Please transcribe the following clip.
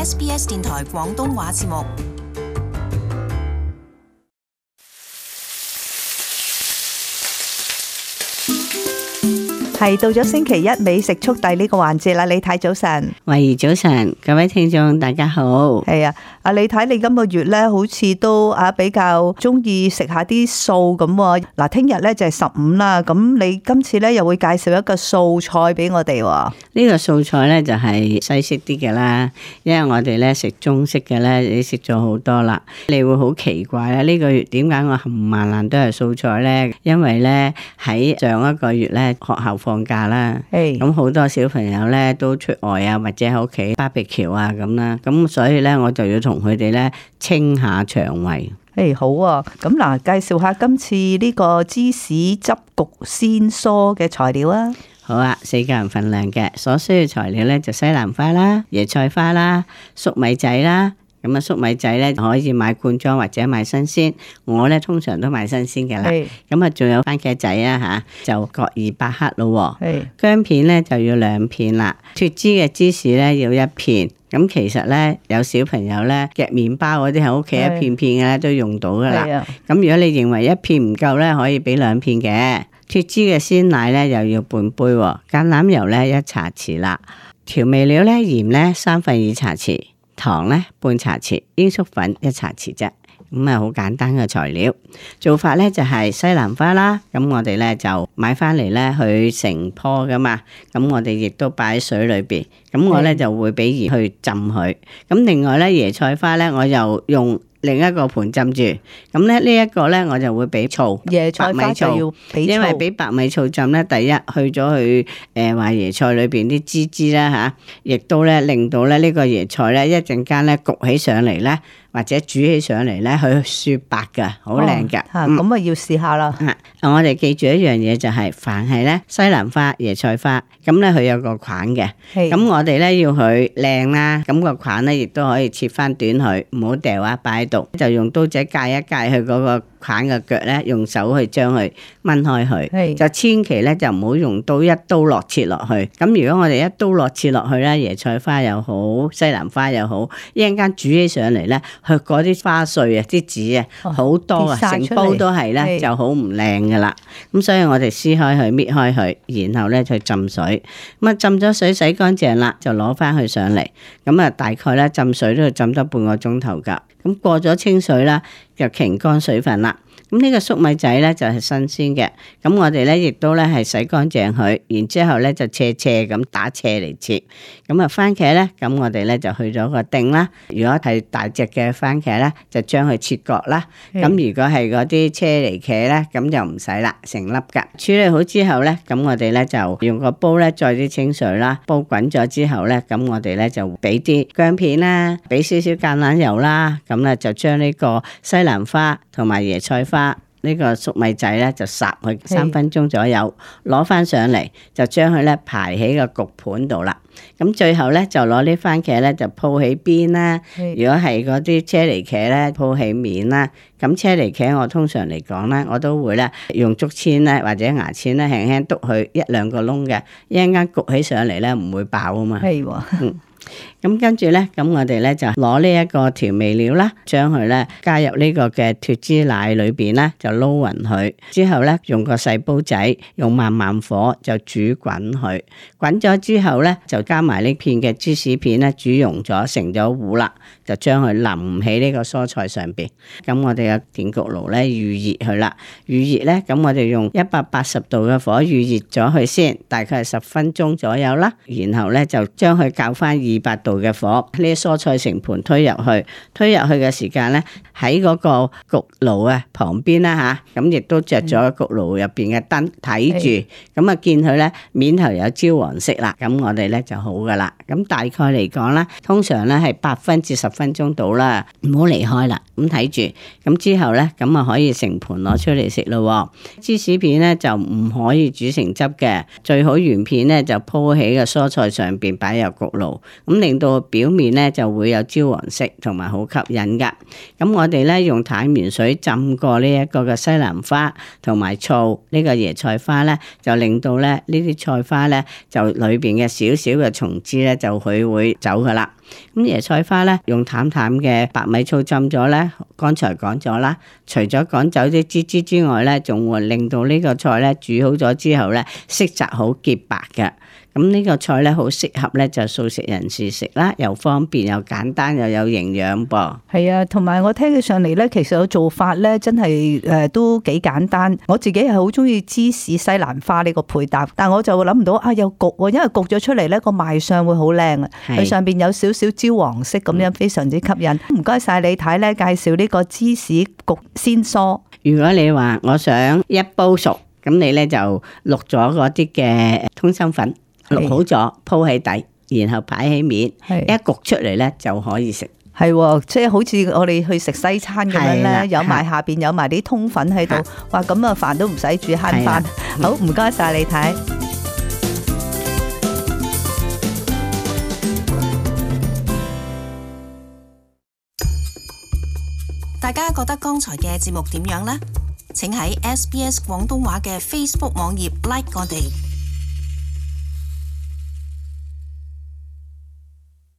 SBS 電台廣東話節目。係到咗星期一美食速遞呢個環節啦，李太早晨。慧怡早晨，各位聽眾大家好。係啊，阿李太，你今個月咧好似都比較中意食下啲素咁喎。嗱，聽日咧就係15啦，咁你今次咧又會介紹一個素菜俾我哋喎。呢個素菜咧就係西式啲嘅啦，因為我哋咧食中式嘅咧，你食咗好多啦，你會好奇怪啦。呢個月點解我冚唪唥都係素菜咧？因為咧喺上一個月咧學校放假啦，咁好多小朋友咧都出外啊，或者喺屋企BBQ啊咁啦，咁所以咧我就要同佢哋咧清下腸胃。好啊，咁嗱，介紹下今次呢個芝士汁焗鮮蔬嘅材料啊。好啊，4個人份量嘅，所需要材料咧就西蘭花啦、椰菜花啦、粟米仔啦。咁啊，粟米仔咧可以買罐裝或者買新鮮，我咧通常都買新鮮嘅啦。咁啊，仲有番茄仔啊吓，就各200克咯。薑片咧就要2片啦，脫脂嘅芝士咧要1片。咁其實咧有小朋友咧夾麵包嗰啲喺屋企一片片嘅咧都用到噶啦。咁如果你認為1片唔夠咧，可以俾2片嘅。脫脂嘅鮮奶咧又要半杯，橄欖油咧1茶匙啦，調味料咧鹽咧2/3茶匙。糖咧半茶匙，鷹粟粉1茶匙啫，咁啊好簡單嘅材料。做法咧就係西蘭花啦，咁我哋咧就買翻嚟咧佢成棵噶嘛，咁我哋亦都擺喺水裏邊，咁我咧就會俾鹽去浸佢。咁另外咧椰菜花咧我又用另一個盤浸住，咁咧呢一個咧我就會俾醋，椰菜花就要俾醋，因為俾白米醋浸咧，第一去咗佢話椰菜裏邊啲脂啦吓，亦都咧令到咧呢個椰菜咧一陣間咧焗起上嚟咧，或者煮起上嚟咧，佢雪白噶，好靚噶。咁要試下啦。我哋記住一樣嘢就係，凡係咧西蘭花、椰菜花，咁咧佢有個梗嘅，咁我哋咧要佢靚啦，咁個梗咧亦都可以切翻短佢，唔好掉啊，擺喺度，就用刀仔界一界佢嗰個梗嘅腳咧，用手去將佢掹開佢，就千祈咧就唔好用刀一刀落切落去。咁如果我哋一刀落切落去咧，椰菜花又好，西蘭花又好，一陣間煮起上嚟咧，佢嗰啲花碎啊、啲籽啊好多啊，成煲都係咧，就好唔靚噶啦。咁所以我哋撕開佢、搣開佢，然後咧去浸水。咁啊浸咗水洗乾淨啦，就攞翻去上嚟。咁啊大概咧浸水都要浸得半個鐘頭噶。咁過咗清水啦，就擎乾水分啦。咁呢個粟米仔咧就係新鮮嘅，咁我哋咧亦都咧係洗乾淨佢，然之後咧就斜咁打斜嚟切。咁啊番茄咧，咁我哋咧就去咗個丁啦。如果係大隻嘅番茄咧，就將佢切角啦。咁如果係嗰啲車厘茄咧，咁就唔使啦，成粒噶。處理好之後咧，咁我哋咧就用個煲咧載啲清水啦，煲滾咗之後咧，咁我哋咧就俾啲薑片啦，俾少少橄欖油啦，咁咧就將呢個西蘭花同埋椰菜花呢個粟米仔咧就烚佢3分鐘左右，攞翻上嚟就將佢咧排喺個焗盤度啦。咁最後咧就攞啲番茄咧就鋪起邊啦。如果係嗰啲車厘茄咧鋪起面啦。咁車厘茄我通常嚟講咧，我都會咧用竹籤咧或者牙籤咧輕輕篤佢1-2個窿嘅，一陣間焗起上嚟咧唔會爆啊嘛。咁跟住咧，咁我哋咧就攞呢一個調味料啦，將佢咧加入呢個嘅脫脂奶裏邊啦，就撈勻佢。之後咧用個細煲仔，用慢慢火就煮滾佢。滾咗之後咧，就加埋呢片嘅芝士片咧，煮溶咗成咗糊啦，就將佢淋喺呢個蔬菜上邊。咁我哋嘅電焗爐咧預熱佢啦，預熱咧，咁我哋用180度嘅火預熱咗佢先，大概係10分鐘左右啦。然後咧就將佢校翻200度嘅火，呢啲蔬菜成盤推入去嘅時間咧，喺嗰個焗爐啊旁邊啦吓，咁亦都着咗焗爐入邊嘅燈睇住，咁啊見佢咧面頭有焦黃色啦，咁我哋咧就好噶啦。咁大概嚟講啦，通常咧係8分至10分鐘到啦，唔好離開啦。咁睇住，咁之後咧，咁啊可以成盤攞出嚟食咯。芝士片咧就唔可以煮成汁嘅，最好原片咧就鋪喺個蔬菜上邊擺入焗爐，咁令到表面咧就會有焦黃色同埋好吸引噶。咁我哋咧用淡鹽水浸過呢一個嘅西蘭花同埋醋，呢個椰菜花咧就令到咧呢啲菜花咧就裏邊嘅少少嘅蟲枝咧就佢會走噶啦。咁椰菜花咧用淡淡嘅白米醋浸咗咧，剛才講咗啦，除咗趕走啲脂脂之外咧，仲會令到呢個菜咧煮好咗之後咧色澤好潔白嘅。咁呢個菜咧好適合咧就素食人士食啦，又方便又簡單又有營養噃。係啊，同埋我聽起上嚟咧，其實個做法咧真係都幾簡單。我自己係好中意芝士西蘭花呢個配搭，但我就諗唔到有焗喎，因為焗咗出嚟咧個賣相會好靚啊，佢上邊有少少焦黃色咁樣，非常之吸引。唔該晒李太咧介紹呢個芝士焗鮮蔬。如果你話我想一煲熟，咁你咧就渌咗嗰啲嘅通心粉。渌好咗鋪喺底，然後擺喺面，一焗出嚟咧就可以食。係，即係好似我哋去食西餐咁樣咧，有埋下邊有埋啲通粉喺度，哇！咁啊飯都唔使煮，慳飯。好，唔該晒你睇。大家覺得剛才嘅節目點樣呢？請喺SBS 廣東話嘅 Facebook 網頁 like 我哋。